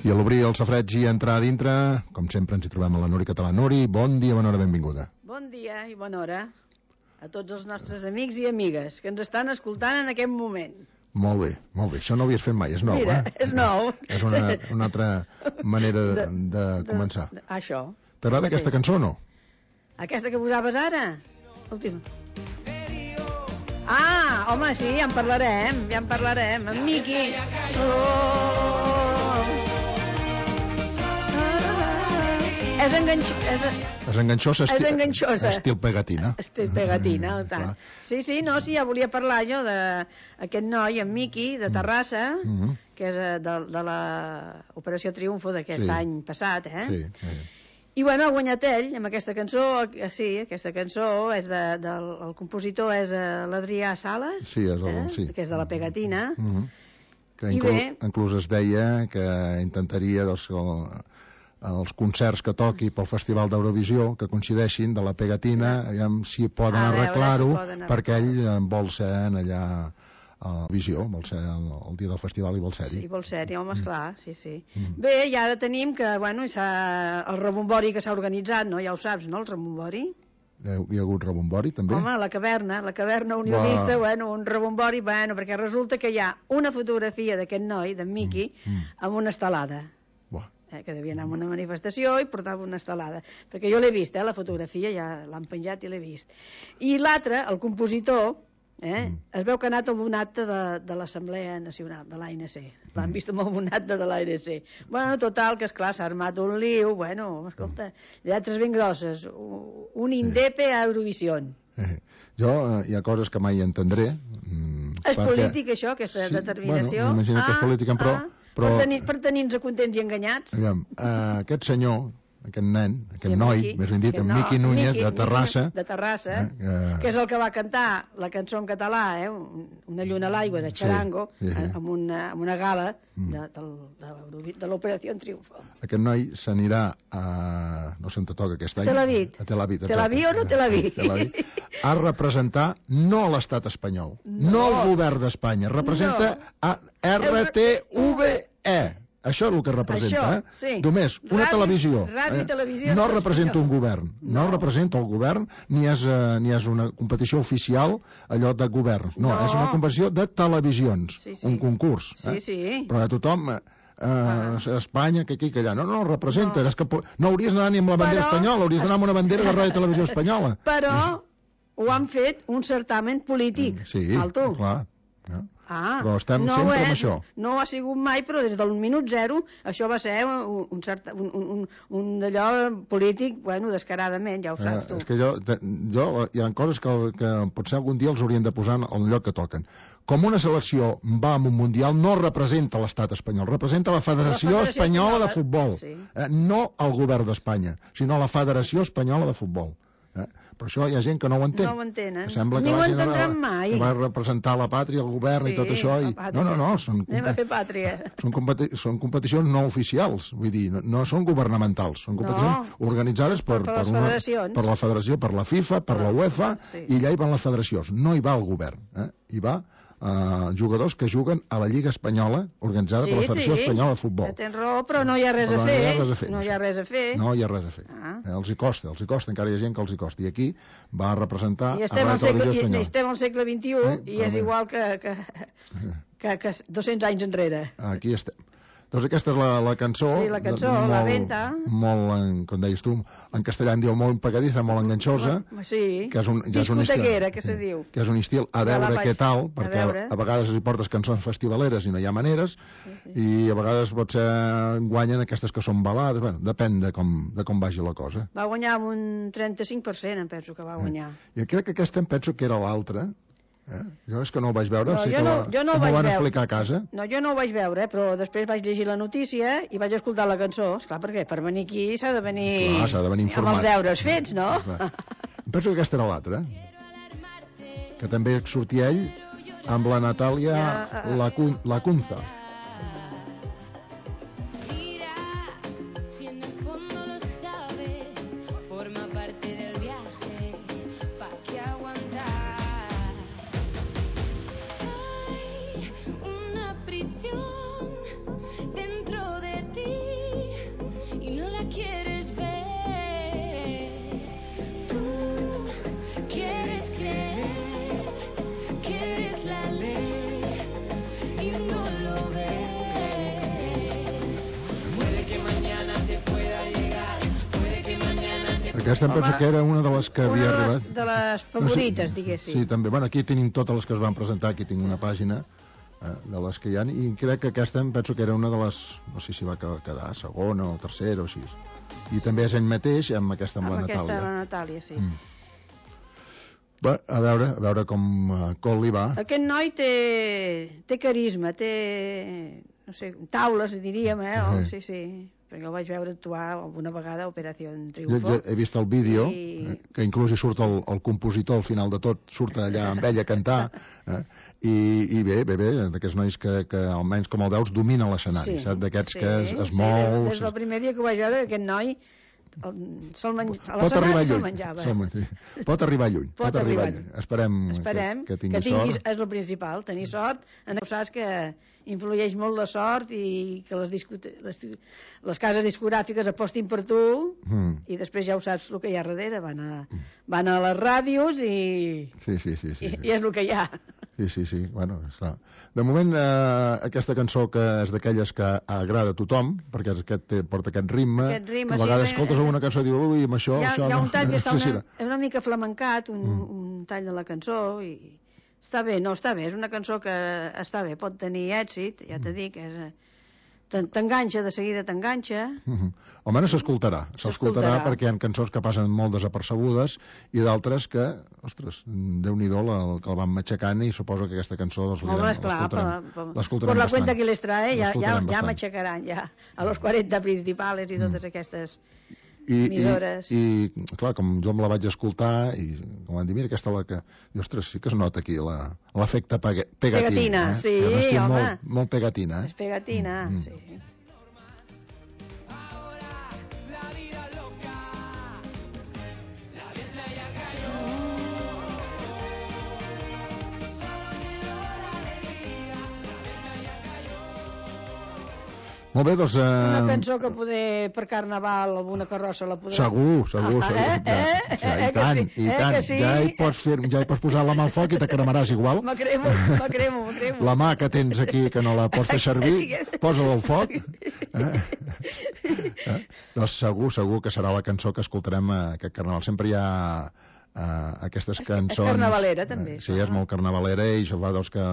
I a l'obrir el safreig i entrar a dintre, com sempre ens hi trobem a la Nuri Català. Nuri, bon dia, bona hora, benvinguda. Bon dia i bona hora a tots els nostres amics i amigues que ens estan escoltant en aquest moment. Molt bé, això no ho havies fet mai, és nou. Mira, és nou. És una altra manera de començar. Això. T'agrada aquesta cançó o no? Aquesta que posaves ara? L'última. Ah, home, sí, ja en parlarem, en Miqui. És enganxosa. Estil pegatina. Estil pegatina, tant. Sí, no, ja volia parlar jo d'aquest noi, en Miqui, de Terrassa, que és de l'Operació Triunfo d'aquest any passat, Sí. I bueno, ha guanyat ell amb aquesta cançó. Sí, aquesta cançó és el compositor és l'Adrià Sales, que és de la pegatina. Que inclús es deia que intentaria els concerts que toqui pel Festival d'Eurovisió que coincideixin de la pegatina, aviam si poden arreglar-ho, perquè ell vol ser allà a Visió, vol ser el dia del festival i vol ser-hi. Sí, vol ser-hi, home, esclar, sí. Bé, i ara tenim que, bueno, el rebombori que s'ha organitzat, no? Ja ho saps, no, el rebombori? Hi ha hagut rebombori, també? Home, la caverna unionista, bueno, un rebombori, bueno, perquè resulta que hi ha una fotografia d'aquest noi, d'en Miqui, amb una estelada. Que devia anar a una manifestació i portava una estelada, perquè jo l'he vist, la fotografia, ja l'han penjat i l'he vist. I l'altre, el compositor, es veu que ha anat a un acte de l'Assemblea Nacional, de l'ANC. L'han vist amb un acte de l'ANC. Bueno, total, que esclar, s'ha armat un liu, bueno, escolta, lletres ben grosses, un indepe a Eurovision. Jo hi ha coses que mai entendré. És polític, això, aquesta determinació? Bueno, m'imagino que és política, però per tenir-nos contents i enganyats. Aquest senyor, aquest nen, aquest noi, més ben dit, en Miqui Núñez, de Terrassa, que és el que va cantar la cançó en català, Una lluna a l'aigua, de Charango, amb una gala de l'Operació Triunfo. Aquest noi s'anirà a... no sé on te toca aquest any. A Tel Aviv. Tel Aviv o no Tel Aviv? A representar no l'estat espanyol, no el govern d'Espanya, representa a RTVE. Això és el que representa, Només una televisió. Ràdio i televisió. No representa un govern, no representa el govern, ni és una competició oficial, allò de govern. No, és una competició de televisions, un concurs. Però a tothom... Espanya, que aquí, que allà. No, representa. No hauries d'anar ni amb la bandera espanyola, hauries d'anar amb una bandera de Ràdio i Televisió Espanyola. Però ho han fet un certamen polític. Sí, clar. Però estem sempre amb això. No ha sigut mai, però des del minut zero això va ser un allò polític, bueno, descaradament, ja ho saps tu. És que hi ha coses que potser algun dia els haurien de posar al lloc que toquen. Com una selecció va a un mundial no representa l'estat espanyol, representa la Federació Espanyola de Futbol. No el govern d'Espanya, sinó la Federació Espanyola de Futbol. Però això hi ha gent que no ho entén. No ho entenen. Ni ho entendran mai. Que va representar la pàtria, el govern i tot això. No. Anem a fer pàtria. Són competicions no oficials, vull dir, no són governamentals, són competicions organitzades per la Federació, per la FIFA, per la UEFA, i allà hi van les federacions. No hi va el govern, hi va jugadors que juguen a la Lliga Espanyola organitzada per la Federació Espanyola de Futbol. Tens raó, però no hi ha res a fer. No hi ha res a fer. Els hi costa, encara hi ha gent que els hi costa. I aquí va representar a la televisió espanyola. I estem al segle XXI i és igual que 200 anys enrere. Aquí estem. Doncs aquesta és la cançó. Sí, la cançó, la venta. Molt, com deies tu, en castellà en diu molt pegadiza, molt enganxosa. Sí, discotequera, que se diu. Que és un estil a veure què tal, perquè a vegades hi portes cançons festivaleres i no hi ha maneres, i a vegades potser guanyen aquestes que són balades, bueno, depèn de com vagi la cosa. Va guanyar amb un 35%, em penso que va guanyar. I crec que aquesta em penso que era l'altra. Jo és que no ho vaig veure, jo no ho van explicar a casa. No, jo no ho vaig veure, però després vaig llegir la notícia i vaig escoltar la cançó. Esclar, perquè per venir aquí s'ha de venir informat, amb els deures fets, no? Em penso que aquesta era l'altra, que també sortia ell amb la Natàlia Lacunza. Dentro de ti Aquesta em penso que era una de les que havia arribat. Una de les favorites, diguéssim. Sí, també. Bueno, aquí tenim totes les que es van presentar, aquí tinc una pàgina de les que hi ha, i crec que aquesta em penso que era una de les, no sé si va quedar segona o tercera o així. I també és ell mateix amb la Natàlia. Amb aquesta la Natàlia, sí. Va, a veure com li va. Aquest noi té carisma, té, no sé, taules, diríem, sí, perquè el vaig veure actuar alguna vegada a Operació Triunfo. Jo he vist el vídeo, que inclús hi surt el compositor al final de tot, surt allà amb ell a cantar, i bé, d'aquests nois que almenys com el veus domina l'escenari, saps? D'aquests que es mou... Des del primer dia que ho vaig veure, aquest noi a la setmana se'l menjava. Pot arribar lluny. Esperem que tingui sort. És el principal, tenir sort. Saps que influeix molt la sort i que les cases discogràfiques apostin per tu i després ja ho saps el que hi ha darrere. Van a les ràdios i és el que hi ha. Sí, bueno, està. De moment, aquesta cançó que és d'aquelles que agrada a tothom, perquè porta aquest ritme, a vegades escoltes una cançó i dius, ui, amb això... Hi ha un tall que està una mica flamencat, un tall de la cançó, i està bé, és una cançó que està bé, pot tenir èxit, ja t'he dit, t'enganxa, de seguida t'enganxa. Almenys s'escoltarà perquè hi ha cançons que passen molt desapercebudes i d'altres que, ostres, Déu-n'hi-do que el van matxacant, i suposo que aquesta cançó l'escoltarem per la cuenta que les trae ja matxacaran ja a los 40 principals i totes aquestes emissores. I clar, com jo me la vaig escoltar i com van dir, mira, aquesta la que... I, ostres, sí que es nota aquí l'efecte pegatina. Sí, home. Molt pegatina. És pegatina, sí. Molt bé, doncs... Una cançó que per Carnaval alguna carrossa la podrà... Segur. I tant. Sí? Ja hi pots posar la mà al foc i te cremaràs igual. Me cremo. La mà que tens aquí, que no la pots fer servir, posa-la al foc. Doncs segur que serà la cançó que escoltarem aquest Carnaval. Sempre hi ha aquestes cançons... És carnavalera, també. Sí, és molt carnavalera, i això fa que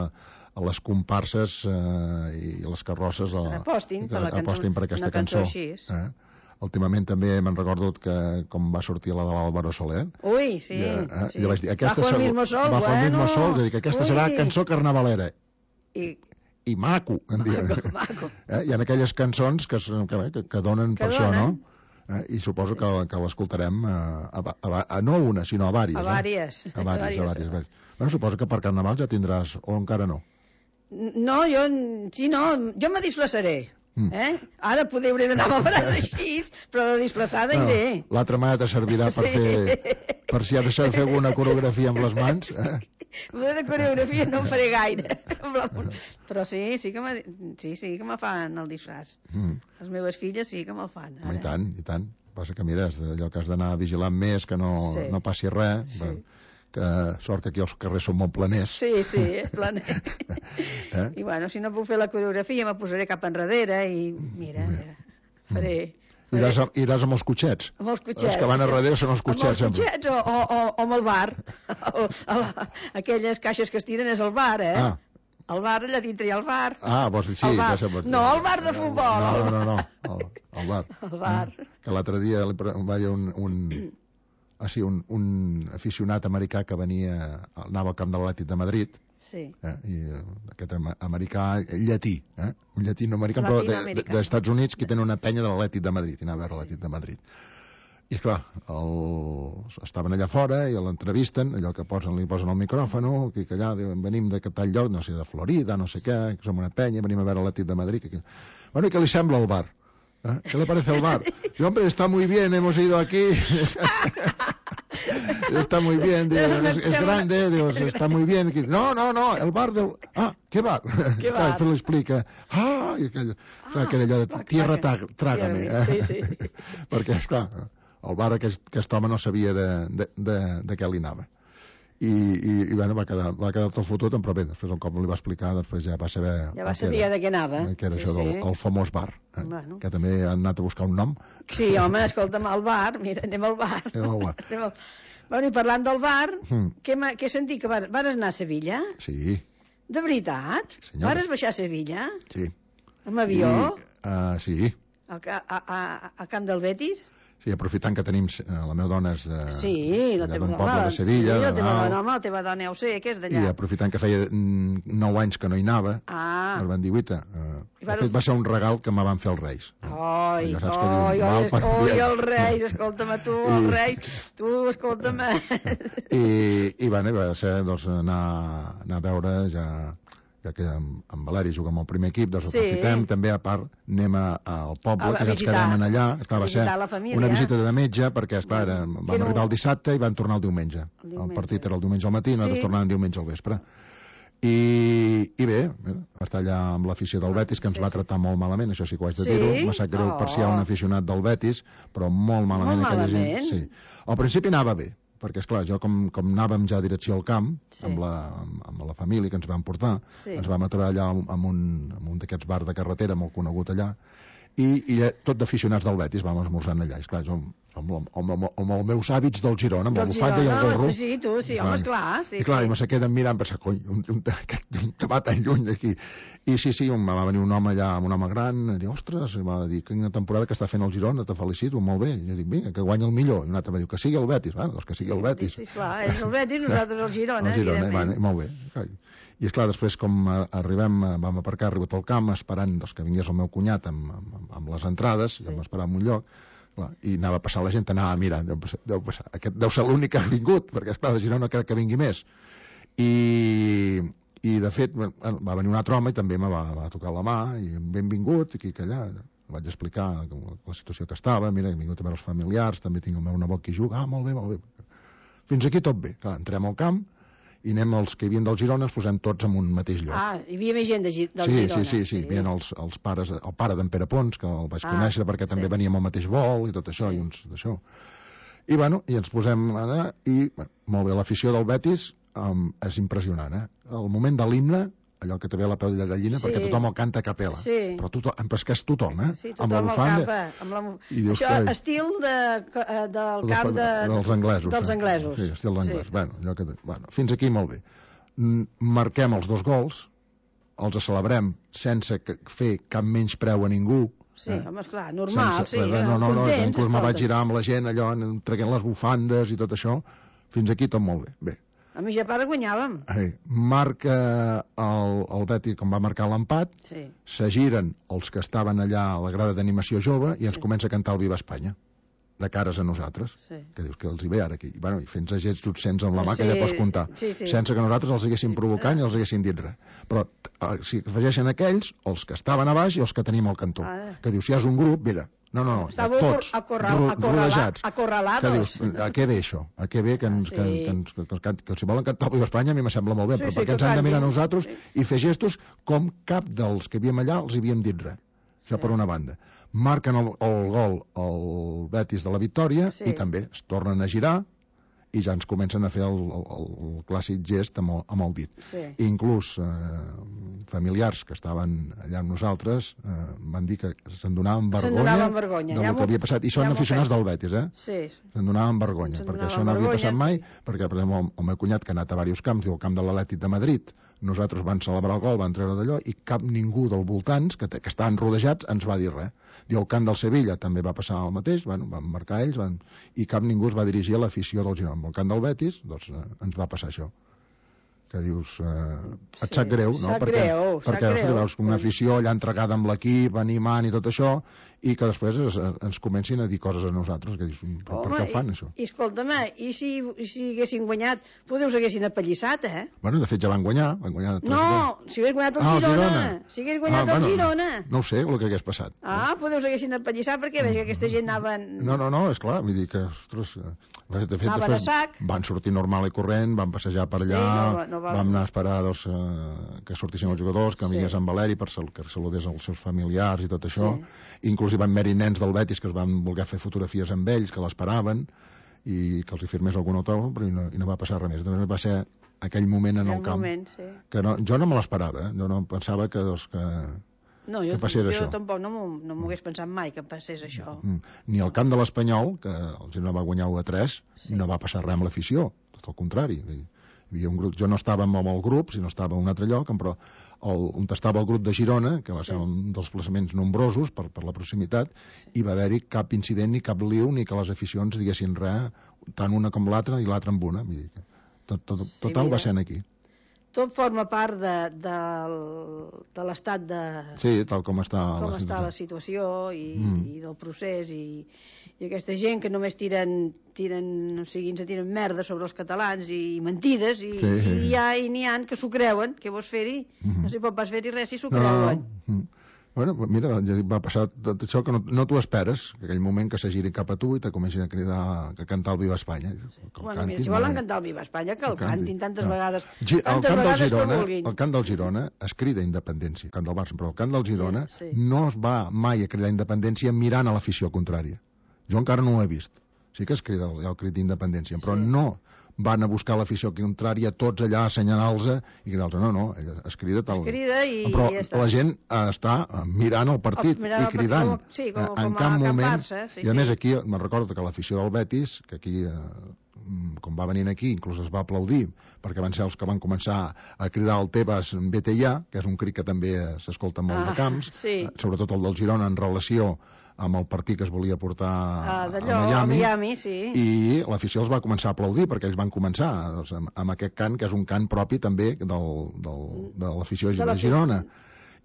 a les comparses i les carrosses apostin per aquesta cançó. Últimament també me'n recordo que com va sortir la de l'Álvaro Soler. Sí. Jo vaig dir, Bajo el mismo sol, és a dir, que aquesta serà cançó carnavalera. I maco, em diuen. Hi ha aquelles cançons que donen per això, no? I suposo que l'escoltarem no a una, sinó a vàries. A vàries. Bueno, suposo que per Carnaval ja tindràs, o encara no? No, jo me disfressaré. Ara hauré d'anar amb el braç així, però de disfressada iré. L'altra mà te servirà per si ha de saber fer alguna coreografia amb les mans. De coreografia no en faré gaire, però sí que me fan el disfraç. Les meves filles sí que me'l fan. I tant. Passa que mira, allò que has d'anar vigilant més, que no passi res. Que sort que aquí els carrers són molt planers. Sí, planer. I bueno, si no puc fer la coreografia me posaré cap enrere i mira, faré... Iràs amb els cotxets. Amb els cotxets. Els que van a darrere són els cotxets. Amb els cotxets o amb el bar. Aquelles caixes que es tiren és el bar, El bar, allà dintre hi ha el bar. Vols dir, sí, ja sé. No, el bar de futbol. No, el bar. El bar. Que l'altre dia va haver un aficionat americà que anava al camp de l'Atlètic de Madrid, i aquest americà llatí, un llatinoamericà, però dels Estats Units, que tenen una penya de l'Atlètic de Madrid, i anava a veure l'Atlètic de Madrid. I esclar, estaven allà fora i l'entrevisten, allò que li posen el micròfon, que allà diuen, venim de tal lloc, no sé, de Florida, no sé què, que som una penya, venim a veure l'Atlètic de Madrid. Bueno, i què li sembla el bar? ¿Qué le parece el bar? Y, hombre, está muy bien, hemos ido aquí. Está muy bien, digo, es grande, digo, está muy bien. No, el bar del... ¿qué bar? Després li explica. Aquell allò de tierra trágame. Sí. Perquè, esclar, el bar aquest home no sabia de què li anava. i bueno, va quedar tot fotut, però bé, després un cop li va explicar, després ja va saber... Ja va saber de què anava. Que era això del famós bar, que també han anat a buscar un nom. Sí, home, escolta'm, al bar, mira, anem al bar. Bueno, i parlant del bar, què sentit, que vas anar a Sevilla? Sí. De veritat? Vas baixar a Sevilla? Sí. Amb avió? Sí. Al camp del Betis? Sí, aprofitant que tenim... La meva dona és d'un poble de Sevilla. Sí, la teva dona, home, la teva dona ja ho sé, que és d'allà. I aprofitant que feia 9 anys que no hi anava, el van dir, guita, de fet va ser un regal que me van fer els Reis. Oi, els Reis, escolta'm, tu, els Reis, tu, escolta'm. I va ser, doncs, anar a veure ja que en Valeri juga amb el primer equip, doncs aprofitem, també a part anem al poble, que ja ens quedem allà, va ser una visita de metge, perquè esclar, vam arribar el dissabte i van tornar el diumenge. El partit era el diumenge al matí, nosaltres tornàvem diumenge al vespre. I bé, va estar allà amb l'afició del Betis, que ens va tractar molt malament, això sí que ho haig de dir-ho, m'ha sap greu per si hi ha un aficionat del Betis, però molt malament aquella gent. Al principi anava bé, perquè, esclar, jo com anàvem ja a direcció al camp, amb la família que ens van portar, ens vam aturar allà en un d'aquests bars de carretera molt conegut allà, i tot d'aficionats del Betis vam esmorzant allà. I, esclar, jo amb els meus hàbits del Girona, amb la bufanda i el gorro... Sí, tu, sí, home, esclar. I, clar, me se queden mirant, pensar, cony, un tabat tan lluny d'aquí. I sí, va venir un home allà, un home gran, i dir, ostres, va dir, quina temporada que està fent el Girona, te felicito, molt bé. I jo dic, vinga, que guanya el millor. I un altre va dir, que sigui el Betis. Bueno, doncs que sigui el Betis. Sí, esclar, és el Betis, nosaltres el Girona, evidentment. Molt bé. I, esclar, després, com arribem, vam aparcar, arribat al camp, esperant que vingués el meu cunyat amb les entrades, vam esperar en un lloc, i anava a passar la gent, anava mirant, deu passar. Aquest deu ser l'únic que ha vingut, perquè, esclar, de Girona no crec que vingui més. I de fet, va venir un altre home i també me va tocar la mà, i benvingut, aquí que allà. Vaig explicar la situació que estava, mira, he vingut a veure els familiars, també tinc el meu nebot que hi juga, molt bé. Fins aquí tot bé. Clar, entrem al camp, i anem els que hi havien del Girona, els posem tots en un mateix lloc. Hi havia més gent del Girona. Sí, hi havia els pares, el pare d'en Pere Pons, que el vaig conèixer perquè també veníem al mateix vol i tot això, i uns d'això. I ens posem allà, i molt bé, l'afició del Betis és impressionant, El moment de l'himne, allò que te ve la pell de gallina, perquè tothom el canta a capella. Però és que és tothom, Sí, tothom el canta. Això, estil del camp dels anglesos. Dels anglesos. Sí, estil d'anglès. Bueno, fins aquí molt bé. Marquem els 2 gols, els celebrem sense fer cap menyspreu a ningú. Sí, home, esclar, normal, sí. No, inclús me vaig girar amb la gent, allò, traient les bufandes i tot això. Fins aquí tot molt bé. A mi ja para guanyàvem. Marca el Betis, com va marcar l'empat, se giren els que estaven allà a la grada d'animació jove i ens comença a cantar el Viva Espanya, de cares a nosaltres. Que dius que els hi ve ara aquí. I fent-se gets obscens amb la mà, que ja pots comptar. Sense que nosaltres els haguéssim provocant i els haguéssim dit res. Però si afegeixen aquells, els que estaven a baix i els que tenim al cantó. Que dius, si és un grup, mira... No, tots, rodejats. Acorralados. A què ve això? A què ve que si volen cantar el Viva Espanya a mi me sembla molt bé, però perquè ens han de mirar a nosaltres i fer gestos com cap dels que havíem allà els havíem dit res. Això per una banda. Marquen el gol el Betis de la victòria i també es tornen a girar i ja ens comencen a fer el clàssic gest amb el dit. Inclús familiars que estaven allà amb nosaltres van dir que se'n donaven vergonya del que havia passat. I són aficionats del Betis, se'n donaven vergonya, perquè això no havia passat mai, perquè, per exemple, el meu cunyat que ha anat a diversos camps, diu el camp de l'Atlètic de Madrid, nosaltres van celebrar el gol, van treure d'allò, i cap ningú dels voltants, que estaven rodejats, ens va dir res. Diu, el camp del Sevilla també va passar el mateix, van marcar ells, i cap ningú es va dirigir a l'afició del Girona. El camp del Betis, doncs, ens va passar això. Que dius, et sap greu, no? Perquè veus una afició allà entregada amb l'equip, animant i tot això, i que després ens comencin a dir coses a nosaltres, que dius, per què ho fan, això? I escolta'm, i si haguessin guanyat, potser us haguessin apallissat, Bueno, de fet ja van guanyar. No, si hagués guanyat el Girona. Si hagués guanyat el Girona. No ho sé, el que hagués passat. Potser us haguessin apallissat, perquè veig que aquesta gent anaven... No, és clar, vull dir que, ostres, de fet, després van sortir normal i corrent, van passejar per allà, vam anar a esperar que sortissin els jugadors, que vingués en Valeri que saludés els seus familiars i tot això. Inclús hi van haver-hi nens del Betis que es van voler fer fotografies amb ells, que l'esperaven, i que els hi firmés algun autògraf, però i no va passar res més. Doncs va ser aquell moment en el camp que jo no me l'esperava, jo no pensava que passés això. Jo tampoc no m'ho hagués pensat mai que passés això. Ni al camp de l'Espanyol, que el Girona va guanyar 1-3, no va passar res amb l'afició, tot el contrari. Hi havia un grup, jo no estava amb el grup, sinó estava a un altre lloc, però on estava el grup de Girona, que va ser un dels plaçaments nombrosos per la proximitat, i va haver-hi cap incident ni cap liu, ni que les aficions diguessin res, tant una com l'altra i l'altra amb una. Total va ser aquí. Tot forma part de l'estat de... Sí, tal com està la situació i del procés i aquesta gent que només tiren merda sobre els catalans i mentides i n'hi ha que s'ho creuen, què vols fer-hi? No s'hi pot pas fer-hi res si s'ho creuen. Bueno, mira, va passar tot això que no t'ho esperes, que aquell moment que se giri cap a tu i te comencin a cridar, a cantar el Viva Espanya. Bueno, mira, si volen cantar el Viva Espanya, que el cantin tantes vegades com vulguin. El cant del Girona es crida independència, el cant del Barça, però el cant del Girona no es va mai a cridar independència mirant a l'afició contrària. Jo encara no ho he vist. Sí que es crida el crit d'independència, però no van a buscar l'afició contrària tots allà assenyalant-los i cridar-los. No, es crida tal. Però la gent està mirant el partit i cridant en cap moment. I a més aquí me'n recordo que l'afició del Betis, que aquí com va venint aquí, inclús es va aplaudir perquè van ser els que van començar a cridar el Tebas vete ja, que és un crit que també s'escolta molt de camps, sobretot el del Girona en relació amb el partit que es volia portar a Miami, i l'afició els va començar a aplaudir perquè ells van començar amb aquest cant, que és un cant propi també de l'afició de Girona,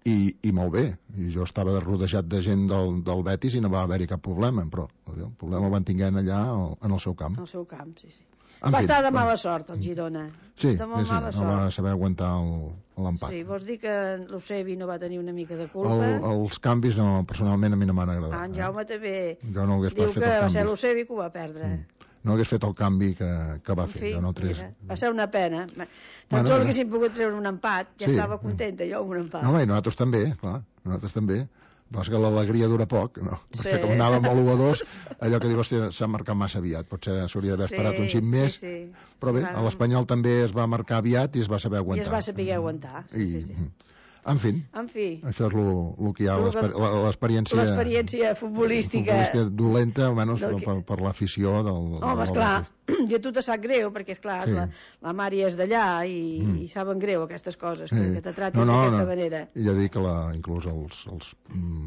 i molt bé, i jo estava rodejat de gent del Betis i no va haver-hi cap problema, però el problema el van tinguent allà en el seu camp. En el seu camp, sí. Va estar de mala sort, el Girona. Sí, no va saber aguantar l'empat. Sí, vols dir que l'Eusebi no va tenir una mica de culpa? Els canvis, personalment, a mi no m'han agradat. En Jaume també diu que va ser l'Eusebi que ho va perdre. No hagués fet el canvi que va fer. Va ser una pena. Tan sols haguéssim pogut treure un empat, ja estava contenta jo amb un empat. No, nosaltres també, clar, nosaltres també. Però és que l'alegria dura poc, no? Perquè com anàvem a l'1-2, allò que diu, hòstia, s'ha marcat massa aviat, potser s'hauria d'haver esperat un xic més, però bé, a l'Espanyol també es va marcar aviat i es va saber aguantar. I es va saber aguantar, En fi, això és el que hi ha, l'experiència... L'experiència futbolística dolenta, almenys per l'afició del... Home, esclar, i a tu te sap greu, perquè, esclar, la Mari és d'allà i saben greu aquestes coses, que te tratin d'aquesta manera. I ja dic que inclús els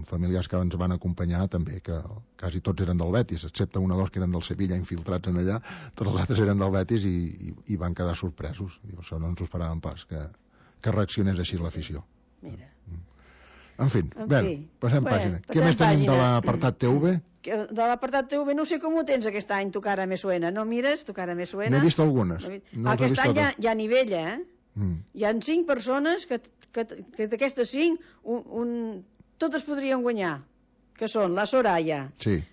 familiars que ens van acompanyar també, que quasi tots eren del Betis, excepte un o dos que eren del Sevilla infiltrats en allà, tots els altres eren del Betis i van quedar sorpresos. Això no ens ho esperàvem pas, que reaccionés així l'afició. Mira. En fi, passem pàgina. Què més tenim de l'apartat TV? De l'apartat TV no sé com ho tens aquest any, Tu cara me suena. No mires? Tu cara me suena. N'he vist algunes. Aquest any hi ha nivell, Hi ha 5 persones que d'aquestes 5 totes podrien guanyar, que són la Soraya,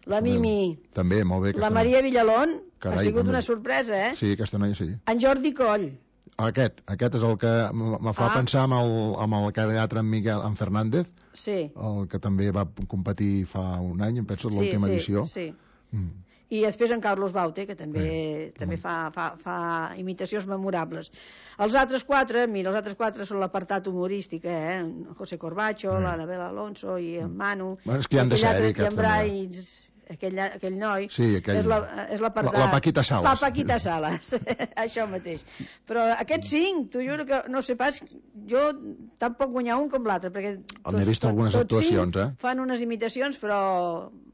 la Mimi, també, molt bé, la Maria Villalón, ha sigut una sorpresa, Sí, aquesta noia sí. En Jordi Coll. Aquest és el que me fa pensar amb el teatre en Fernández, el que també va competir fa un any, em penso, l'última edició. Sí. I després en Carlos Baute, que també fa imitacions memorables. Els altres 4 són l'apartat humorístic, en José Corbacho, l'Anabel Alonso i en Manu. És que hi han de ser, aquests aquell noi, és l'apartat... La Paquita Salas. La Paquita Salas, això mateix. Però aquests 5, t'ho juro que no sé pas, jo tampoc guanyar un com l'altre, perquè n'he vist algunes actuacions, fan unes imitacions, però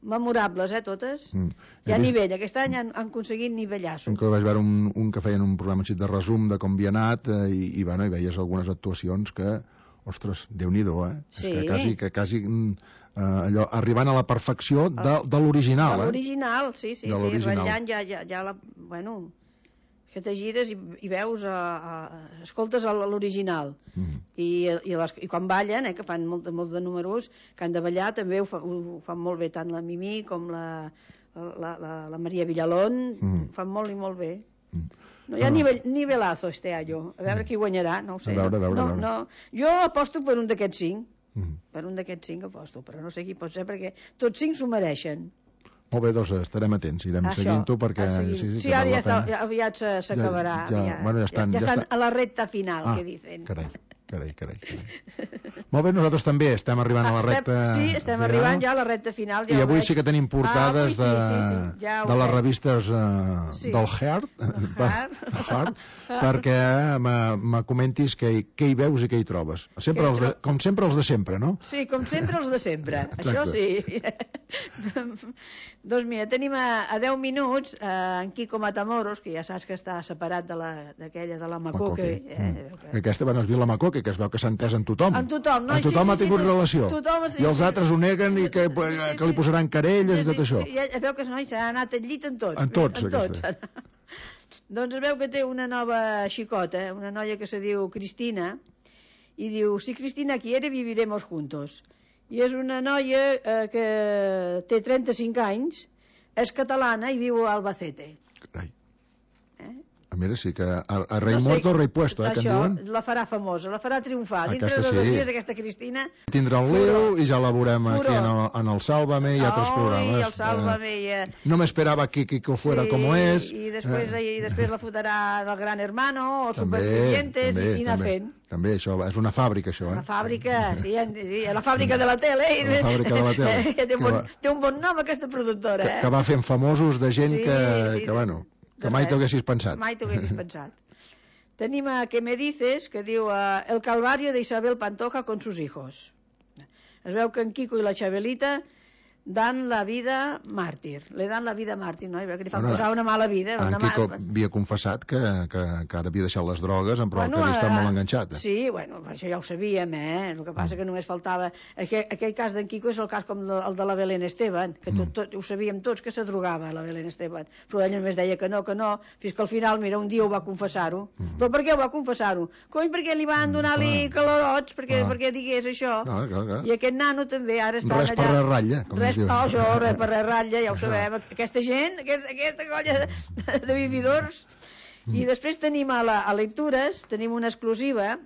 memorables, totes. Hi ha nivell, aquest any han aconseguit nivellassos. Inclús vaig veure un que feien un programa de resum de com havia anat i veies algunes actuacions que, ostres, Déu-n'hi-do, Sí. És que quasi allò, arribant a la perfecció de l'original, De l'original, sí, ratllant ja la... Bueno, que te gires i veus, escoltes l'original. I quan ballen, que fan molt de números, que han de ballar, també ho fan molt bé, tant la Mimi com la Maria Villalón, ho fan molt i molt bé. No hi ha nivelazo este año. A veure qui guanyarà, no ho sé. A veure. Jo aposto per un d'aquests 5. Per un d'aquests 5 aposto, però no sé qui pot ser, perquè tots 5 s'ho mereixen. Molt bé, doncs estarem atents, irem seguint-ho perquè... Sí, ara ja aviat s'acabarà. Ja estan a la recta final, que dicen. Carai. Molt bé, nosaltres també estem arribant a la recta final. Sí, estem arribant ja a la recta final. I avui sí que tenim portades de les revistes del Heart, perquè me comentis què hi veus i què hi trobes. Com sempre els de sempre, no? Sí, com sempre els de sempre. Això sí. Doncs mira, tenim a 10 minuts en Quico Matamoros, que ja saps que està separat d'aquella de la Macoque. Aquesta es diu la Macoque, que es veu que s'ha entès en tothom. En tothom, no? Tothom ha tingut relació. I els altres ho neguen i que li posaran querelles i tot això. Es veu que s'ha anat al llit en tots. En tots. Doncs es veu que té una nova xicota, una noia que se diu Cristina, i diu, si Cristina quiere viviremos juntos. I és una noia que té 35 anys, és catalana i viu a Albacete. Carai. Mira, sí que a rei muerto, rei puesto, que en diuen. Això la farà famosa, la farà triomfar. Dintre de 2 dies, aquesta Cristina... Tindrà un lío i ja la veurem aquí en el Sálvame i altres programes. El Sálvame no m'esperava que fuera como es. I després la fotrà del Gran Hermano o Supervivientes i anar fent. També, això, és una fàbrica, això, Una fàbrica, sí, la fàbrica de la tele. La fàbrica de la tele. Té un bon nom, aquesta productora. Que va fent famosos de gent que bueno... Que mai t'ho haguessis pensat. Mai t'ho haguessis pensat. Tenim a Que me dices, que diu El calvario de Isabel Pantoja con sus hijos. Es veu que en Quico i la Xabelita dan la vida màrtir. Le dan la vida màrtir, no? I veu que li fan posar una mala vida. En Quico havia confessat que ara havia deixat les drogues, però que havia estat molt enganxat. Sí, bueno, això ja ho sabíem, El que passa que només faltava... Aquell cas d'en Quico és el cas com el de la Belén Esteban, que ho sabíem tots que se drogava, la Belén Esteban. Però ella només deia que no, fins que al final, mira, un dia ho va confessar-ho. Però per què ho va confessar-ho? Cony, perquè li van donar-li calorots, perquè digués això. I aquest nano també ara està allà... Res per la ratlla, com res per la ratlla, ja ho sabem. Aquesta gent, aquesta colla de vividors. I després tenim a lectures, tenim una exclusiva,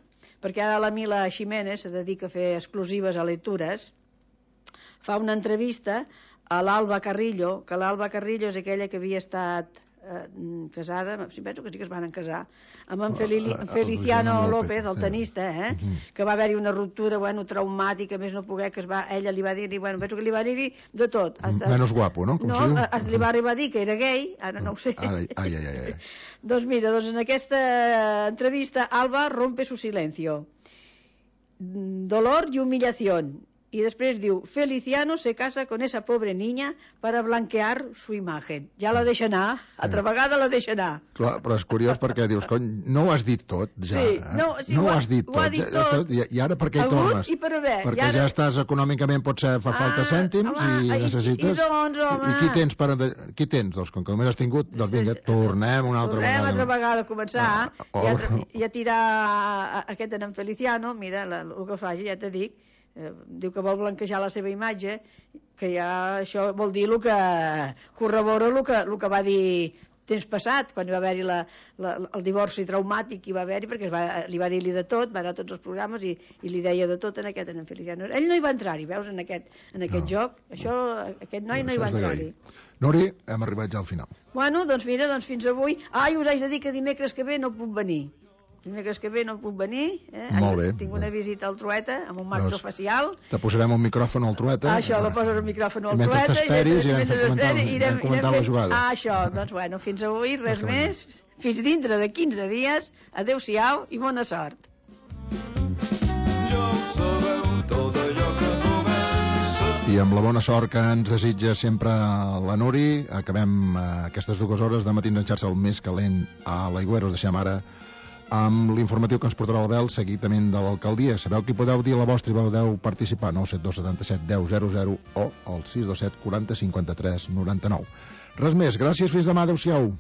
perquè ara la Mila Ximénez se dedica a fer exclusives a lectures. Fa una entrevista a l'Alba Carrillo, que l'Alba Carrillo és aquella que havia estat casada, penso que sí que es van casar, amb en Feliciano López, el tenista, que va haver-hi una ruptura, traumàtica, més no poder, que ella li va dir, penso que li va dir de tot. Menos guapo, no? No, li va arribar a dir que era gay, ara no ho sé. Doncs mira, en aquesta entrevista Alba rompe su silencio. Dolor y humillación. Y después diu, Feliciano se casa con esa pobre niña para blanquear su imagen. Ja la deixa anar, altra vegada la deixa anar. Clar, però és curiós perquè dius, cony, no ho has dit tot, ja. Sí, no ho has dit tot. I ara per què hi tornes? I per haver. Perquè ja estàs econòmicament, potser fa falta cèntims i necessites... I qui tens? Doncs com que només has tingut, doncs vinga, tornem una altra vegada. Tornem altra vegada a començar i a tirar aquest en Feliciano, mira, el que faci, ja t'he dit, diu que vol blanquejar la seva imatge, que ja això vol dir el que corrobora el que va dir temps passat, quan hi va haver-hi el divorci traumàtic que hi va haver-hi, perquè li va dir-li de tot, va anar a tots els programes i li deia de tot en aquest en Feliciano. Ell no hi va entrar-hi, veus, en aquest joc. Aquest noi no hi va entrar-hi. Nori, hem arribat ja al final. Bueno, doncs mira, fins avui. Us haig de dir que dimecres que ve no puc venir. Dimecres que ve no puc venir. Molt bé. Tinc una visita al Trueta amb un maxo facial. Te posarem un micròfon al Trueta. Això, la poses el micròfon al Trueta. Mentre t'esperis irem comentant la jugada. Això, doncs bueno, fins avui, res més. Fins dintre de 15 dies. Adéu-siau i bona sort. I amb la bona sort que ens desitja sempre la Nuri, acabem aquestes 2 hores de Matins en xarxa, el més calent a l'Aigüera. Us deixem ara amb l'informatiu que ens portarà l'Abel, seguidament de l'alcaldia. Sabeu que podeu dir la vostra i podeu participar, 972 77 10 00 o al 627 40 53 99. Res més, gràcies, fins demà, adeu-siau.